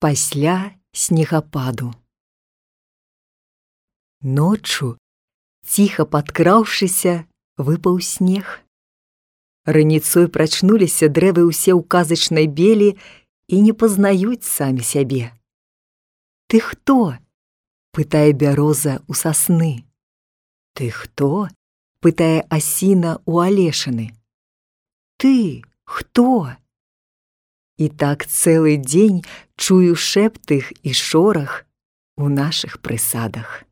Пасля снегападу. Ноччу, ціха падкраўшыся, выпаў снег. Раніцой прачнуліся дрэвы ўсе ў казачнай белі і не пазнаюць самі сябе. «Ты хто?» – пытае бяроза ў сасны. «Ты хто?» – пытае асіна ў алешыны. «Ты хто?» І так цэлы дзень чую шэпт іх і шорах у нашых прысадах.